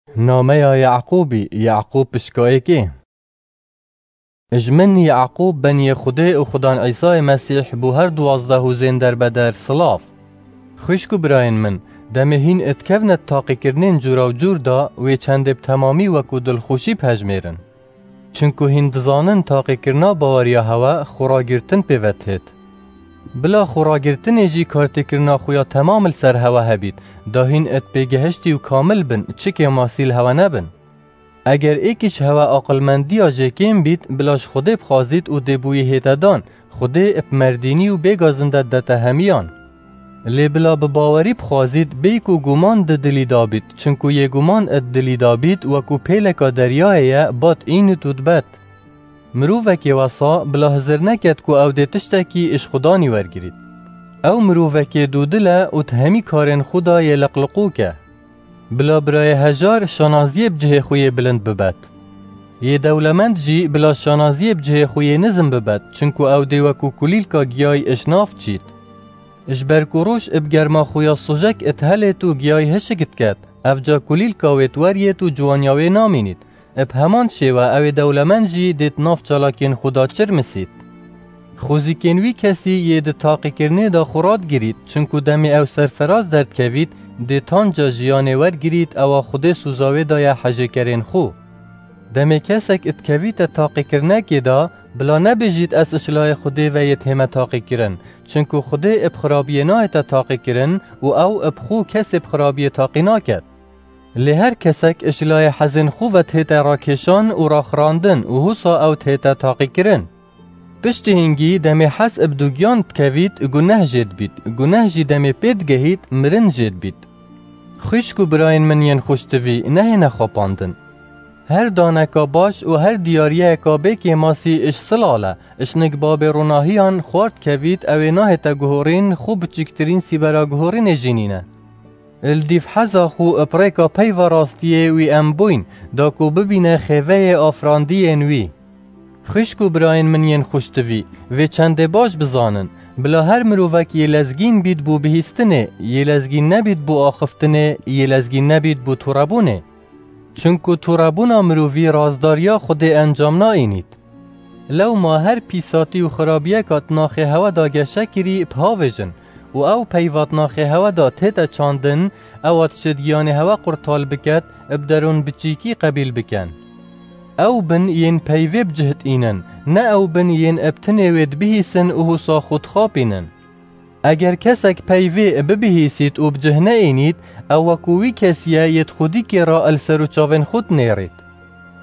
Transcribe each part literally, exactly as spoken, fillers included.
Nameya Yaqûbî, Yaqûb pişka êkê. Ji min Yaqûb beniyê Xwedê û Xudan Îsayê Mesîh bo her duwazdeh û zên derbeder silav. Xwişk û birayên min, demê hîn dikevne di taqîkirinên cûra û cûr de, wê çendê bi temamî wekû dilxweşî bihejmêrin. Çinku hîn dizanin taqîkirina baweriya hewe xweragirtin pê ve dihêt. Bila xweragirtinê jî kartêkirina xwe ya temam li ser hewe hebît, da hîn êt pêgehiştî û kamil bin, çi kêmasî li hewe nebin. Eger êkî ji hewe aqilmendiya jêkêm bît, bila ji Xwedê bixwazît û dê bo wî hête dan, Xwedê bi merdînî û bê gazinde didete hemiyan. Lê bila bi bawerî bixwazît, bêyî ku guman di dilî de bît, çinku yê guman di dilî de bît, wekû pêleka deryayê ye, bat înit û dibet. Mirovekê wesa bila hizir neket ku ew dê tiştekî ji Xudanî wergirît. Ew mirovekê dûdil e û di hemî karên xwe de yê liqliqûk e. Bila birayê hejar şanaziyê bi cihê xwe yê bilind bibet. Yê dewlemend jî bila şanaziyê bi cihê xwe yê nizm bibet, çinku ew dê wekû kulîlka giyayî ji nav çît. Ji ber ku roj bi germa xwe ya sojek dihelêt û giyayî hişik diket, evca kulîlka wê diweriyêt û ciwaniya wê namînît. Bi heman şêwe ew ê dewlemend jî dê di nav çalakên xwe de çirmisît. Xwezîkên wî kesî yê di taqîkirinê de xwe radigirît, çinku demê ew serferaz derdikevît, dê tanca jiyanê wergirît, ewa Xwedê soza wê daye hejêkerên xwe. Demê kesek dikevîte taqîkirinekê de, bila nebêjît, ez ji layê Xwedê ve yê dihême taqîkirin, çinku Xwedê bi xirabiyê nayête taqîkirin û ew bi xwe kesê bi xirabiyê taqî naket. Lê her kesek ji layê hezên xwe ve dihête rakêşan û raxirandin û husa ew dihête taqîkirin. Piştî hingî demê hez bi dugiyan dikevît, guneh jê dibît, guneh jî demê pê digehît, mirin jê dibît. Xwişk û birayên min yên xweştivî, nehêne xapandin. Her daneka baş û her diyariyeyeka bê kêmasî ji silal e, ji nik babê ronahiyan xwar dikevît, ew ê nahête guhorîn, xwe biçûktirîn sîbera guhorînê jî nîne. Li dîv heza xwe bi rêka peyva rastiyê wî em bûyn, da ku bibîne xêveyê afirandiyên wî. Xwişk û birayên min yên xweştivî, vê çendê baş bizanin, bila her mirovek yê lezgîn bît bo bihîstinê, yê lezgîn nebît bo axiftinê, yê lezgîn nebît bo turebûnê. Çinku turebûna mirovî razdariya Xwedê encam naînît. Lewma her pîsatî û xirabiyeka di naxê hewe de geşe kirî, bihavêjin û ew peyva di naxê hewe de tête çandin, ewa dişêt giyanê hewe qurtal biket, bi derûn biçîkî qebîl bikin. Ew bin yên peyvê bi cih diînin, ne ew bin yên bi tinê wê dibihîsin û husa xwe dixapînin. Eger kesek peyvê bibihîsît û bi cih neînît, ew wekû wî kesî ye yê di xwedîkê re li ser û çavên xwe dinêrît.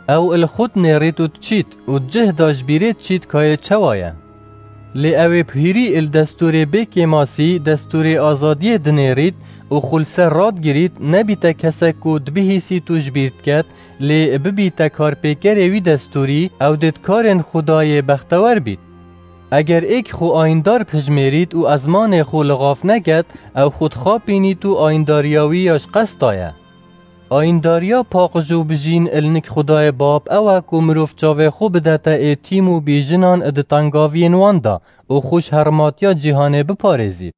Ew li xwe dinêrît û diçît û di cih de ji bîrê diçît ka yê çawa ye. Lê ew ê bi hîrî li destûrê bê kêmasî, destûrê azadiyê dinêrît û xwe li ser radigirît, nebîte kesek ku dibihîsît û ji bîr diket, lê bibîte karpêkerê wî destûrî, ew dê di karên xwe de yê bextewer bît. Eger êk xwe ayîndar bihijmêrît û ezmanê xwe li xav neket, ew xwe dixapînît û ayîndariya wî ya ji qesta ye. Ayîndariya paqij û bijîn li nik Xwedayê Bab ew e ku mirov çavê xwe bidete êtîm û bîjinan di tengaviyên wan de û xwe ji hermatiya cîhanê biparêzît.